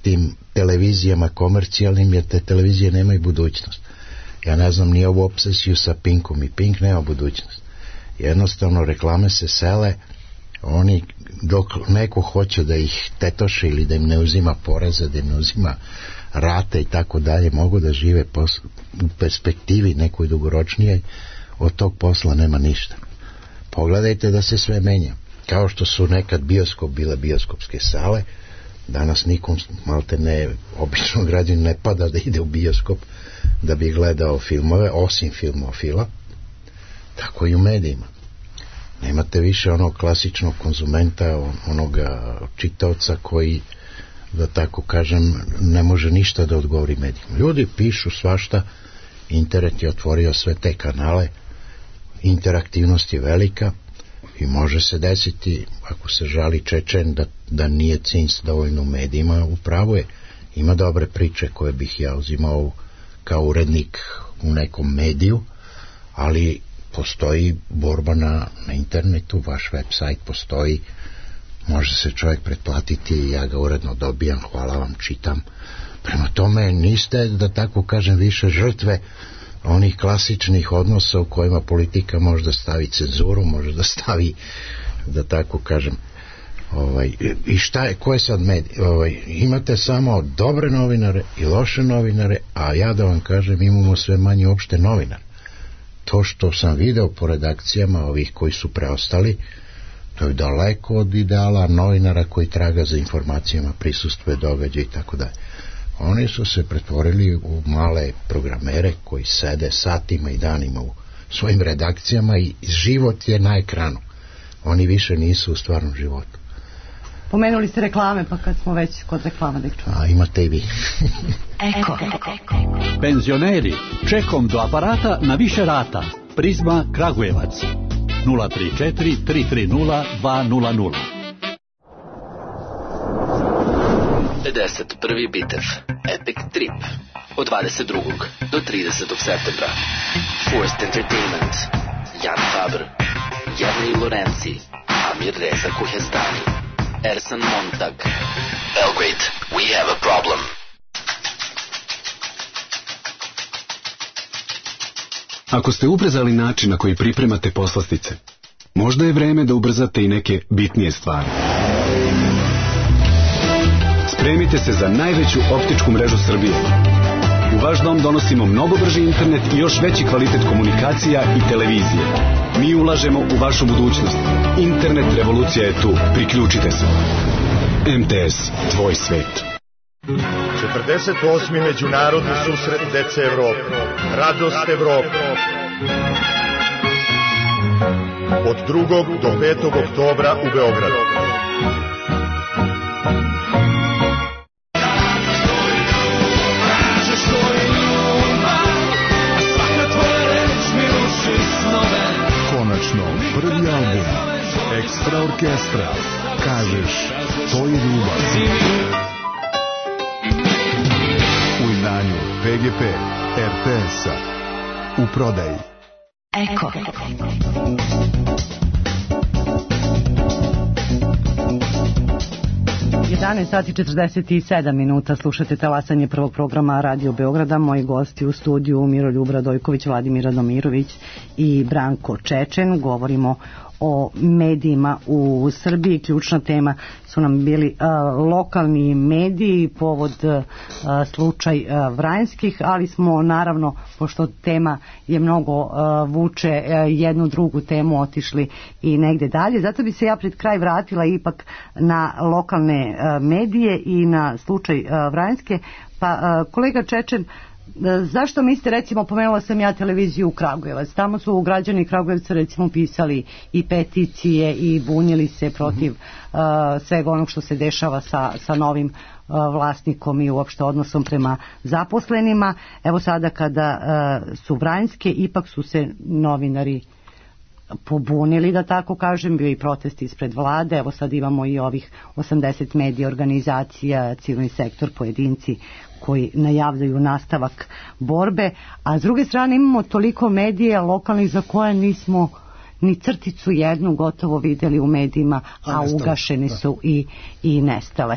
tim televizijama komercijalnim, jer te televizije nemaju budućnost. Ja ne znam ni ovu obsesiju sa Pinkom, i Pink nema budućnost. Jednostavno reklame se sele, oni dok neko hoće da ih tetoše ili da im ne uzima poreze, da im ne uzima rate i tako dalje, mogu da žive pos- u perspektivi nekoj dugoročnijoj, od tog posla nema ništa. Pogledajte da se sve menja. Kao što su nekad bioskop bile bioskopske sale, danas nikom malte ne, obično građan ne pada da ide u bioskop da bi gledao filmove, osim filmofila. Tako i u medijima. Nemate više onog klasičnog konzumenta, onoga čitaoca koji, da tako kažem, ne može ništa da odgovori medijima. Ljudi pišu svašta, internet je otvorio sve te kanale, interaktivnost je velika i može se desiti, ako se žali Čečen, da, da nije Cinc dovoljno u medijima, upravo je. Ima dobre priče koje bih ja uzimao kao urednik u nekom mediju, ali postoji borba na, na internetu, vaš website postoji, može se čovjek pretplatiti i ja ga uredno dobijam, hvala vam, čitam. Prema tome niste, da tako kažem, više žrtve onih klasičnih odnosa u kojima politika može da stavi cenzuru, može da stavi, da tako kažem, ovaj, i šta je, ko je sad medij? Ovaj, imate samo dobre novinare i loše novinare, a ja da vam kažem, imamo sve manje uopšte novinare. To što sam video po redakcijama ovih koji su preostali, to je daleko od ideala novinara koji traga za informacijama, prisustvuje događaja i tako dalje. Oni su se pretvorili u male programere koji sede satima i danima u svojim redakcijama i život je na ekranu. Oni više nisu u stvarnom životu. Pomenuli ste reklame, pa kad smo već kod reklama da ih čujemo. A imate i vi. Eko. Penzioneri, čekom do aparata na više rata. Prizma Kragujevac. nula tri četiri tri tri nula dva nula nula. pedeset prvi bitev Epic Trip od dvadeset drugog do tridesetog septembra. Forced Entertainment, Jan Faber, Jernej Lorenzi, Amir Reza Kuhestani, Ersan Montag. Belgrade, we have a problem. Ako ste ubrzali način na koji pripremate poslastice, možda je vreme da ubrzate i neke bitnije stvari. Spremite se za najveću optičku mrežu Srbije. U vaš dom donosimo mnogo brži internet i još veći kvalitet komunikacija i televizije. Mi ulažemo u vašu budućnost. Internet revolucija je tu. Priključite se. M T S, tvoj svet. četrdeset osmi Međunarodni susret dece Evrope. Radost Evrope. Od drugog do petog oktobra u Beogradu. Konačno, prvi album Ekstra orkestra. Kažeš, to je ljubav. U izdanju P G P R T S-a. U prodaji. Eko. jedanaest sati četrdeset sedam minuta, slušate talasanje prvog programa Radio Beograda. Moji gosti u studiju Miroljub Radojković, Vladimir Radomirović i Branko Čečen. Govorimo o medijima u Srbiji. Ključna tema su nam bili a, lokalni mediji, povod a, slučaj a, Vranjskih, ali smo naravno, pošto tema je mnogo a, vuče a, jednu drugu temu, otišli i negde dalje. Zato bi se ja pred kraj vratila ipak na lokalne a, medije i na slučaj a, Vranjske. Pa a, kolega Čečen, zašto mislite, recimo, pomenula sam ja televiziju u Kragujevac, tamo su građani Kragujevca recimo pisali i peticije i bunili se protiv uh, svega onog što se dešava sa, sa novim vlasnikom i uopšte odnosom prema zaposlenima. Evo sada kada su vranjske, ipak su se novinari pobunili, da tako kažem, bio i protest ispred vlade, evo sad imamo i ovih osamdeset medija, organizacija, civilni sektor, pojedinci koji najavljaju nastavak borbe, a s druge strane imamo toliko medija lokalnih za koje nismo ni crticu jednu gotovo vidjeli u medijima, a, a ugašeni su i, i nestale.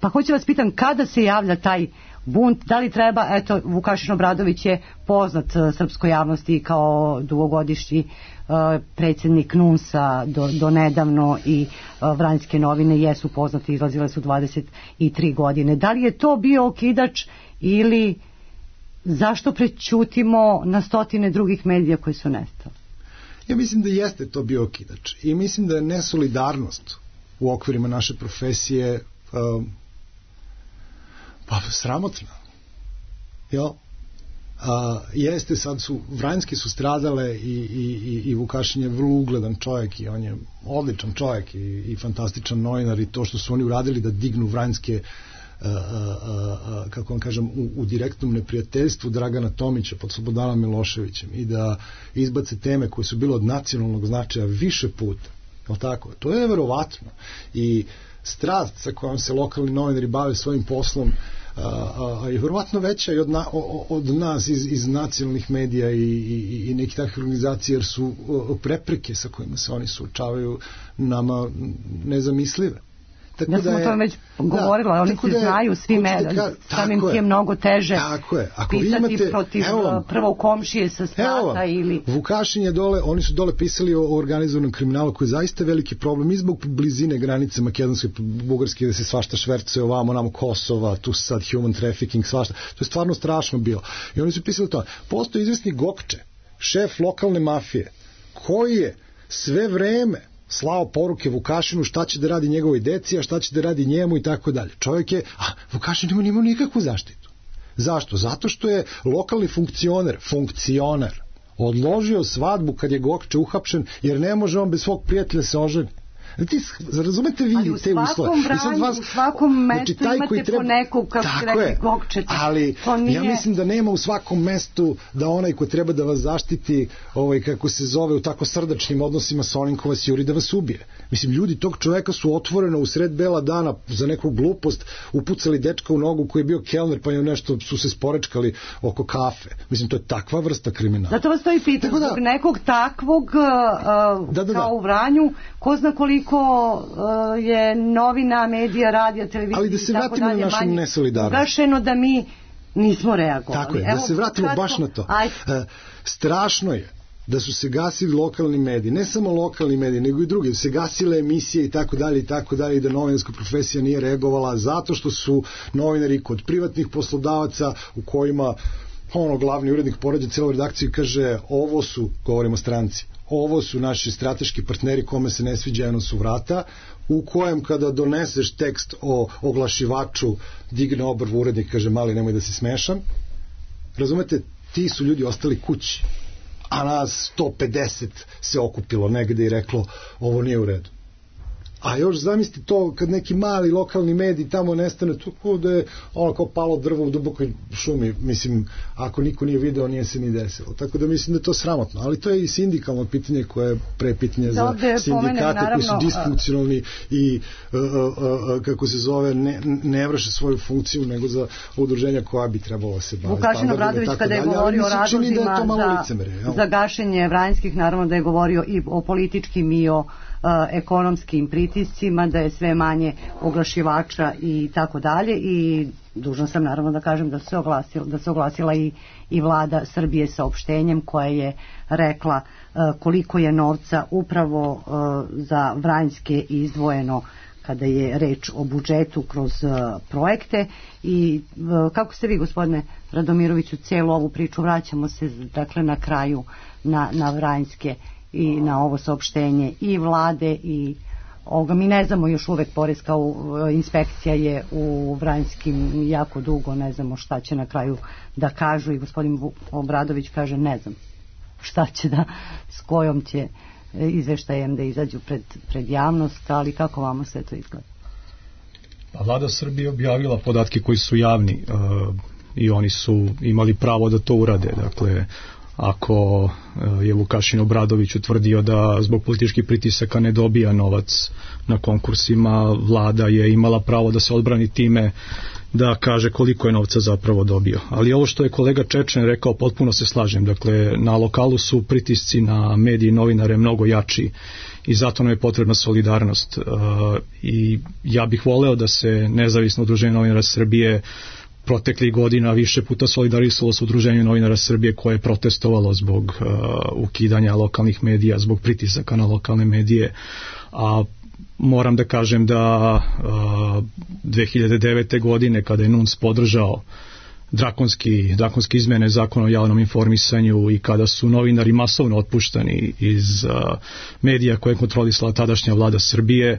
Pa hoću vas pitam, kada se javlja taj bunt, da li treba, eto, Vukašin Obradović je poznat srpskoj javnosti kao dugogodišnji uh, predsjednik N U N S-a do, do nedavno i uh, Vranjske novine jesu poznate, izlazile su dvadeset tri godine. Da li je to bio okidač ili zašto prećutimo na stotine drugih medija koji su nestali? Ja mislim da jeste to bio okidač i mislim da je nesolidarnost u okvirima naše profesije uh, pa sramotna. Jel? A, jeste, sad su, Vranjske su stradale i, i, i Vukašin je vrlo ugledan čovjek i on je odličan čovjek i, i fantastičan novinar i to što su oni uradili da dignu Vranjske a, a, a, kako vam kažem, u, u direktnom neprijateljstvu Dragana Tomića pod Slobodanom Miloševićem i da izbace teme koje su bile od nacionalnog značaja više puta. Jel tako? To je verovatno. I strast sa kojom se lokalni novinari bave svojim poslom a, a, a je vjerovatno veća i od, na, o, od nas iz, iz nacionalnih medija i, i, i nekih takvih organizacija, jer su o, prepreke sa kojima se oni suočavaju nama nezamislive. Tako ja sam o tome već govorila, da, oni se da, znaju svi mediji, samim ti je mnogo teže pisati imate, protiv evo, prvog komšije sa strata ili... Vukašin je dole, oni su dole pisali o organizovanom kriminalu koji je zaista veliki problem i zbog blizine granice Makedonske, Bugarske, da se svašta švercuje ovamo, namo Kosova, tu sad human trafficking, svašta. To je stvarno strašno bilo. I oni su pisali to. Postoji izvesni Gokče, šef lokalne mafije, koji je sve vreme slao poruke Vukašinu šta će da radi njegovoj deci, a šta će da radi njemu i tako dalje. Čovjek je, a Vukašin nema nimao nikakvu zaštitu. Zašto? Zato što je lokalni funkcioner, funkcioner, odložio svadbu kad je Gokče uhapšen, jer ne može on bez svog prijatelja se oženi. Ti razumete vi te uslove? Ali u svakom mestu znači, imate treba, po nekog, kako se rekli, Gokčeta. Ali nije... ja mislim da nema u svakom mestu da onaj ko treba da vas zaštiti, ovaj, kako se zove, u tako srdačnim odnosima sa onim ko vas juri da vas ubije. Mislim, ljudi tog čoveka su otvoreno u sred bela dana za neku glupost upucali dečka u nogu koji je bio kelner, pa je nešto su se sporečkali oko kafe. Mislim, to je takva vrsta kriminala. Zato vas to i pitam, zbog da, nekog takvog uh, da, da, kao da. u Vranju, ko zna koliko uh, je novina, medija, radija, televizija, ali da se vratimo na našu nesolidarnost. Ugašeno da mi nismo reagovali. Tako je, da Evo, se vratimo kratko, baš na to. Uh, strašno je da su se gasili lokalni mediji, ne samo lokalni mediji, nego i drugi, da se gasile emisije i tako dalje i tako dalje i da novinarska profesija nije reagovala zato što su novinari kod privatnih poslodavaca u kojima ono glavni urednik porađa celu redakciju i kaže ovo su, govorimo stranci, ovo su naši strateški partneri kome se ne sviđa, jedno su vrata, u kojem kada doneseš tekst o oglašivaču digne obrvu urednik i kaže mali nemoj da se smešam. Razumete, ti su ljudi ostali kući, a nas sto pedeset se okupilo negde i reklo ovo nije u redu. A još zamislite to kad neki mali lokalni medij tamo nestane, to da je ono kao palo drvo u dubokoj šumi, mislim, ako niko nije video, nije se ni desilo. Tako da mislim da je to sramotno, ali to je i sindikalno pitanje koje je pre pitanje za sindikate koji su disfunkcionalni i uh, uh, uh, kako se zove, ne, ne vrše svoju funkciju nego za udruženja koja bi trebalo se baviti. Vukašin Obradović kada je govorio o razlozima da za, za gašenje Vranjskih, naravno da je govorio i o političkim i o Uh, ekonomskim pritiscima, da je sve manje oglašivača i tako dalje, i dužna sam naravno da kažem da se oglasila, da se oglasila i, i vlada Srbije sa opštenjem koja je rekla uh, koliko je novca upravo uh, za Vranjske izdvojeno kada je reč o budžetu kroz uh, projekte. I uh, kako ste vi, gospodine Radomiroviću, cijelu ovu priču, vraćamo se dakle na kraju na, na Vranjske i na ovo saopštenje i vlade i ovoga, mi ne znamo još uvek, poreska inspekcija je u Vranjskim jako dugo, ne znamo šta će na kraju da kažu, i gospodin Obradović kaže ne znam šta će da, s kojom će izveštajem da izađu pred, pred javnost, ali kako vama sve to izgleda? Pa vlada Srbije objavila podatke koji su javni uh, i oni su imali pravo da to urade. Dakle, ako uh, je Vukašin Obradović utvrdio da zbog političkih pritisaka ne dobija novac na konkursima, vlada je imala pravo da se odbrani time da kaže koliko je novca zapravo dobio. Ali ovo što je kolega Čečen rekao, potpuno se slažem. Dakle, na lokalu su pritisci na medije i novinare mnogo jači i zato nam je potrebna solidarnost. Uh, I ja bih voleo da se nezavisno udruženje novinara Srbije proteklih godina više puta solidarisalo sa udruženjem novinara Srbije koje je protestovalo zbog uh, ukidanja lokalnih medija, zbog pritisaka na lokalne medije. A moram da kažem da uh, dve hiljade devete. godine kada je N U N S podržao drakonski, drakonski izmene zakona o javnom informisanju i kada su novinari masovno otpuštani iz uh, medija koje je kontrolisala tadašnja vlada Srbije,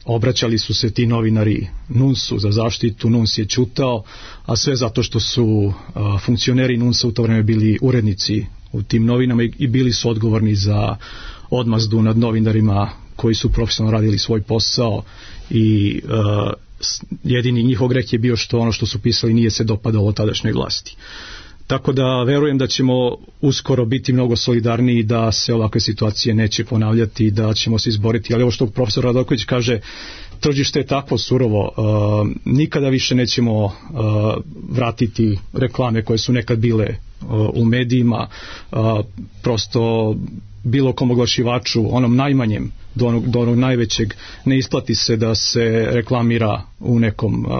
obraćali su se ti novinari N U N S-u za zaštitu, N U N S je ćutao, a sve zato što su uh, funkcioneri N U N S-a u to vreme bili urednici u tim novinama i, i bili su odgovorni za odmazdu nad novinarima koji su profesionalno radili svoj posao i uh, jedini njihov greh je bio što ono što su pisali nije se dopadalo tadašnjoj vlasti. Tako da verujem da ćemo uskoro biti mnogo solidarniji, da se ovakve situacije neće ponavljati, da ćemo se izboriti. Ali ovo što profesor Radojković kaže, tržište je takvo surovo, uh, nikada više nećemo uh, vratiti reklame koje su nekad bile uh, u medijima, uh, prosto bilo kom oglašivaču, onom najmanjem do onog, do onog najvećeg, ne isplati se da se reklamira u nekom uh,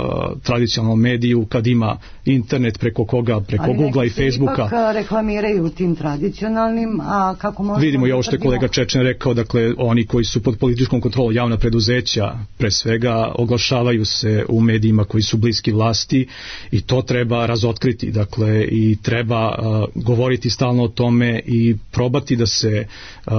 tradicionalnom mediju kad ima internet preko koga, preko Googlea i Facebooka. Ali ipak reklamiraju u tim tradicionalnim, a kako možemo... Vidimo i ovo što je kolega Čečen rekao, dakle oni koji su pod političkom kontrolom, javna preduzeća pre svega, oglašavaju se u medijima koji su bliski vlasti i to treba razotkriti, dakle i treba uh, govoriti stalno o tome i probati da se uh,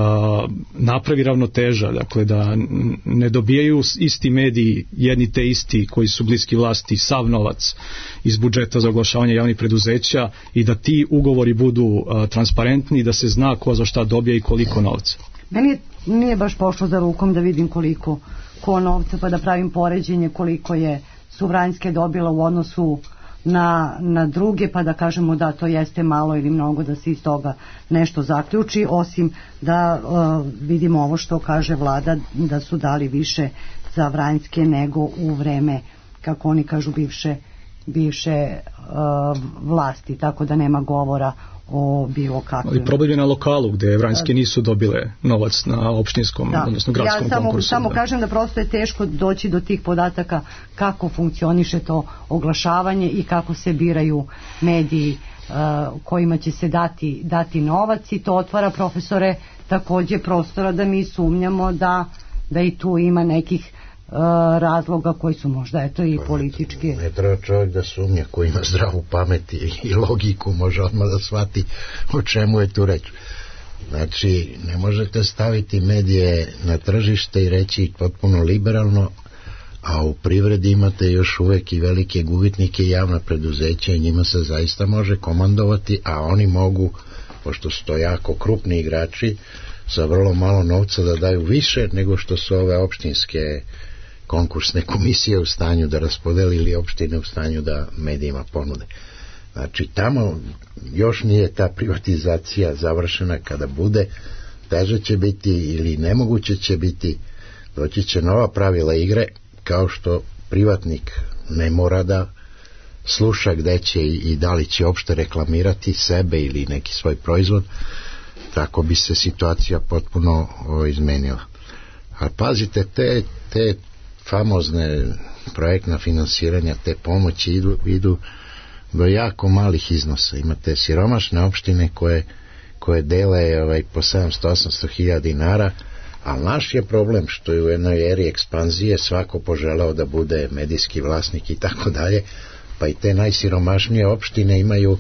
napravi ravnoteža, dakle da ne dobijaju isti mediji, jedni te isti koji su bliski vlasti, sav novac iz budžeta za oglašavanje javnih preduzeća i da ti ugovori budu uh, transparentni, da se zna ko za šta dobija i koliko novca. Meni nije baš pošlo za rukom da vidim koliko ko novca, pa da pravim poređenje koliko je su Vranjske dobila u odnosu na, na druge, pa da kažemo da to jeste malo ili mnogo, da se iz toga nešto zaključi, osim da uh, vidimo ovo što kaže vlada, da su dali više za Vranjske nego u vreme, kako oni kažu, bivše, bivše uh, vlasti, tako da nema govora o bilo kakvim. Ali problem je na lokalu gde Vranjske nisu dobile novac na opštinskom, da, odnosno gradskom ja samo, konkursu. Samo da. kažem da prosto je teško doći do tih podataka kako funkcioniše to oglašavanje i kako se biraju mediji uh, kojima će se dati, dati novac, i to otvara, profesore, takođe prostora da mi sumnjamo da, da i tu ima nekih razloga koji su možda eto i politički. Ne treba čovjek da sumnja, ko ima zdravu pamet i logiku može odmah da shvati o čemu je tu reč. Znači, ne možete staviti medije na tržište i reći potpuno liberalno, a u privredi imate još uvek i velike gubitnike i javna preduzeća i njima se zaista može komandovati, a oni mogu, pošto su to jako krupni igrači, sa vrlo malo novca da daju više nego što su ove opštinske konkursne komisije u stanju da raspodeli ili opštine u stanju da medijima ponude. Znači, tamo još nije ta privatizacija završena. Kada bude, teže će biti ili nemoguće će biti, doći će nova pravila igre, kao što privatnik ne mora da sluša gde će i da li će opšte reklamirati sebe ili neki svoj proizvod, tako bi se situacija potpuno o, izmenila. A pazite, te, te famozne projektna finansiranja, te pomoći idu, idu do jako malih iznosa. Imate siromašne opštine koje, koje dele ovaj, po sedamsto do osamsto hiljada dinara, a naš je problem što je u jednoj eri ekspanzije svako poželao da bude medijski vlasnik i tako dalje, pa i te najsiromašnije opštine imaju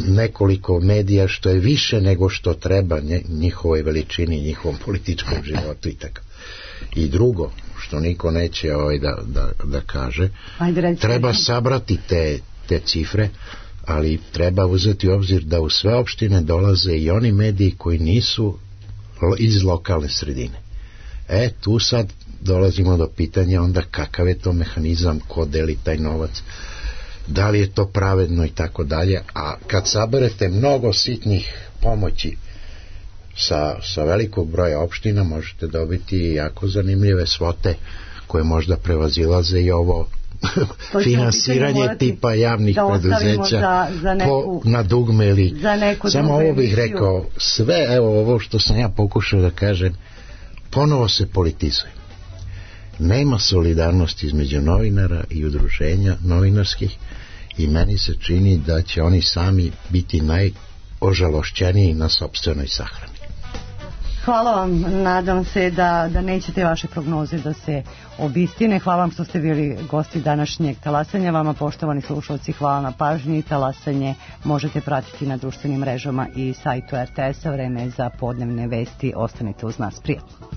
nekoliko medija, što je više nego što treba njihovoj veličini, njihovom političkom životu i tako. I drugo, što niko neće ovaj da, da, da kaže, Ajde, treba sabrati te, te cifre, ali treba uzeti u obzir da u sve opštine dolaze i oni mediji koji nisu iz lokalne sredine. E, tu sad dolazimo do pitanja onda kakav je to mehanizam, ko deli taj novac, da li je to pravedno i tako dalje. A kad saberete mnogo sitnih pomoći sa, sa velikog broja opština, možete dobiti jako zanimljive svote koje možda prevazilaze i ovo finansiranje tipa javnih preduzeća za, za neku, po, na dugme ili samo ovo bih emisiju. Rekao sve, evo ovo što sam ja pokušao da kažem, ponovo se politizuje, nema solidarnosti između novinara i udruženja novinarskih i meni se čini da će oni sami biti najožalošćeniji na sopstvenoj sahrani. Hvala vam, nadam se da, da nećete vaše prognoze da se obistine. Hvala vam što ste bili gosti današnjeg talasanja. Vama, poštovani slušalci, hvala na pažnji. Talasanje možete pratiti na društvenim mrežama i sajtu er te esa. Vreme je za podnevne vesti. Ostanite uz nas, prijatno.